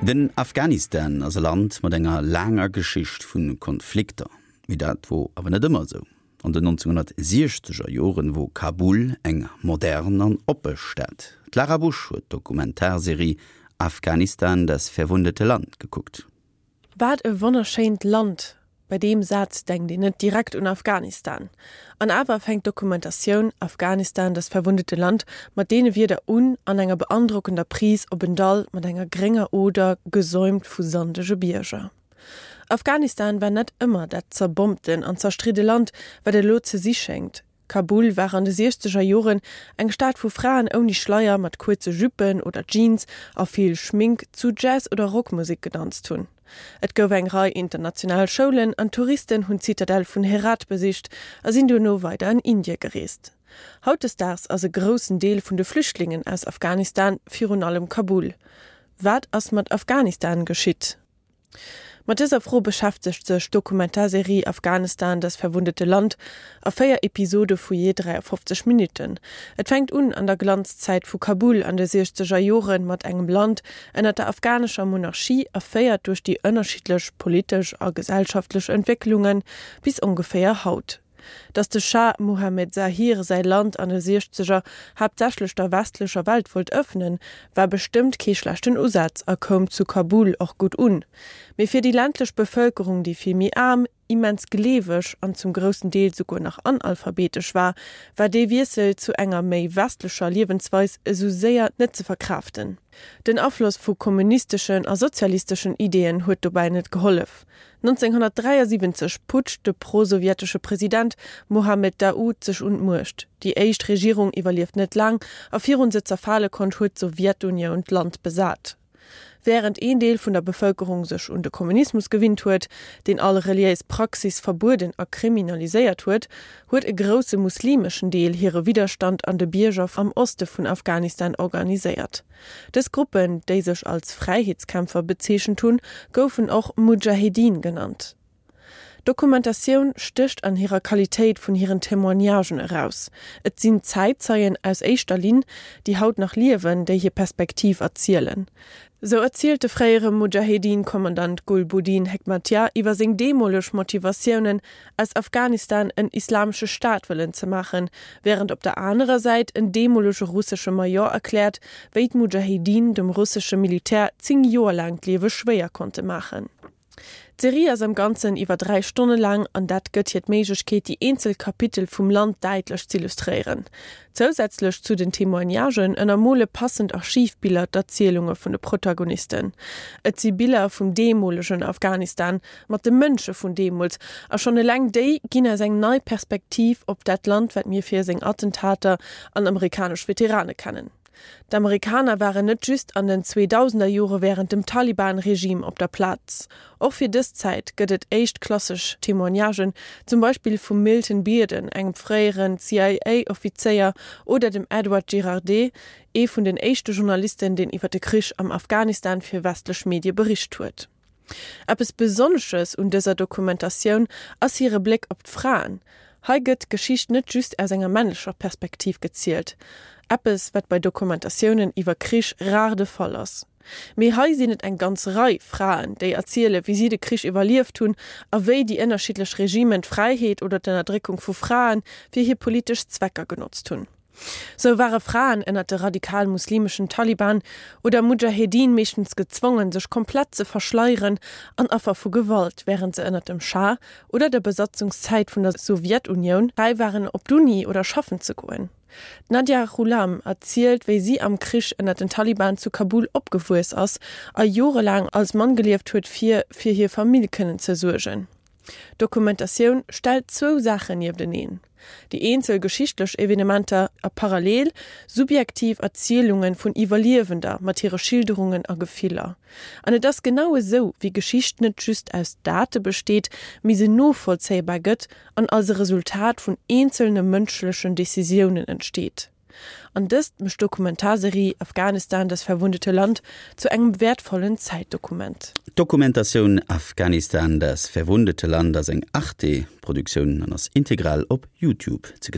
Den Afghanistan ass e Land mat enger laanger Geschicht vu Konflikter. Mee dat wor awer net ëmmer esou. An den 1960er Joren wor Kabul eng modern an oppe Stad. D'Lara Busch huet d'Dokumentarserie Afghanistan, das verwundete Land gekuckt. Wat e wonnerschéint Land! Bei deem Saz denkt een net direkt un Afghanistan. An awer fänkt d'Dokumentatioun Afghanistan, das verwundete Land mat deene Wierder un an enger beandrockender Prise op en Dall mat enger grénger Oder, gesäumt vu sandege Bierger. Afghanistan war net ëmmer dat zerbombten an zerstridde Land, wat et elo ze si schéngt. Kabul war an de siechzeger Joren eng Stad vu Fraen ouni Schleier, mat kuerze Juppen oder Jeans a vill Schmink zu Jazz oder Rockmusek gedanzt hunn. Et gouf eng Rei international Schoulen an Touristen hunn d'Zitadell vun Herat besicht a sinn duerno weider an Indie gereest. Hautdesdaags ass e groussen Deel vun de Flüchtlingen aus Afghanistan virun allem Kabul. Wat ass mat Afghanistan geschitt? Mat dëser Fro beschäftegt sech d'Dokumentarserie Afghanistan, das verwundete Land a 4 Episode vu jee 53 Minutten. Et fänkt un an der Glanzzäit vu Kabul an de siechzeger Jore mat engem Land ënner der afghanescher Monarchie a féiert duerch déi ënnerschiddlech politesch a gesellschaftlech Entwécklunge bis ongeféier haut. Datt de Schah Mohammed Zahir säi Land an de Siechzeger haaptsächlech der westlecher Welt wollt ëffnen, war bestëmmt kee schlechten Usaz a koum zu Kabul och gutt un. Mee fir déi ländlech Bevëlkerung, déi vill méi aarm, immens gleeweg an zum groussen Deel souguer nach analphabetesch war, war dee Wiessel zu enger méi westlecher Liewensweis esou séier net ze verkraaften. Den Afloss vu kommunisteschen a sozialisteschen Ideeën huet dobäi net gehollef. 1973 putscht de pro-sowjetesche President Mohammed Daoud sech un d'Muecht. Déi éischt Regierung iwwerlieft net laang a virun se zerfale konnt huet d'Sowjetunioun d'Land besat. Wärend een Deel vun der Bevëlkerung sech un de Kommunismus gewinnt huet, deen all reliéis Praxis verbueden a kriminaliséiert huet, huet e grousse muslimeschen Deel hire Widderstand an de Bierger am Oste vun Afghanistan organiséiert. Dës Gruppen, déi sech als Fräiheetskämpfer bezeechent hunn, goufen och Mudschahedin genannt. D'Dokumentatioun stécht an hirer Qualitéit vun hiren Témoignagen eraus. Et sinn Zäitzeien aus éischter Linn, déi haut nach liewen, déi hir Perspektiv erzielen. Sou erzielt de fréiere Mudschahedin-Kommandant Gulbuddin Hekmatyar iwwer seng deemoleg Motivatiounen, aus Afghanistan en islamesche Staat wëllen ze maachen, wärend op der anerer Säit en deemolege russesche Major erkläert, wéi d'Mudschahedin dem russesche Militär 10 Joer laang d'Liewe schwéier konnte maachen. D'Serie ass am Ganzen iwwer 3 Stonne laang an dat gëtt hir d'Méiglechkeet déi eenzel Kapitel vum Land däitlech z'illustréieren. Zousätzlech zu den Témoignagen ënnermole passend Archivbiller d'Erzielunge vun de Protagonisten. Et si Biller vum deemolegen Afghanistan, mat de Mënsche vun deemools a schonn eleng déi ginn eis eng nei Perspektiv op dat Land wat mir fir seng Attentater an amerikanesch Veterane kennen. D'Amerikaner waren net just an den Zweedausenderjore wärend dem Taliban-Regime op der Plaz. Och fir dës Zäit gëtt et éischtklasseg Témoignagen, zum Beispill vum Milton Bearden, engem fréieren CIA-Offizéier, oder dem Edward Girardet, ee vun den éischte Journalisten, deen iwwer de Krich am Afghanistan fir westlech Medie bericht huet. Eppes Besonnesches un dëser Dokumentatioun ass hire Bléck op d'Fraen. Hei gëtt d'Geschicht net just aus enger männlecher Perspektiv gezielt, eppes wat bei Dokumentatiounen iwwer Krich rar de Fall ass. Mee hei sinn et eng ganz Rei Fraen, déi erziele wéi si de Krich iwwerlieft hunn a wéi déi ënnerschiddlech Regimen d'Fräiheet oder d'Ënnerdréckung vu Frae fir hir politesch Zwecker genotzt hunn. Sou ware Fraen ënnert de radikal-muslimeschen Taliban oder Mudschahedin meeschtens gezwongen, sech komplett ze verschleieren an Affer vu Gewalt, wärend se ënnert dem Schah oder der Besatzungszäit vun der Sowjetunioun fräi waren, op d'Uni oder schaffen ze goen. D'Nadia Ghulam erzielt, wéi si am Krich ënnert den Taliban zu Kabul opgewuess ass a jorelaang als Mann gelieft huet, fir fir hir Famill kënnen ze suergen. D'Dokumentatioun stellt zwou Saachen niefteneen, déi eenzel geschichtlech Evenementer a parallel subjektiv Erzielunge vun Iwwerliewender mat hire Schilderungen a Gefiller. An et ass genau esou, wéi Geschicht net just aus Date besteet, mee se novollzéibar gëtt an als e Resultat vun eenzelne mënschlechen Decisiounen entsteet. An dëst mécht d'Dokumentarserie Afghanistan, das verwundete Land zu engem wäertvollen Zäitdokument. D'Dokumentatioun Afghanistan, das verwundete Land ass eng Arte-Produktioun an ass integral op Youtube ze gesinn.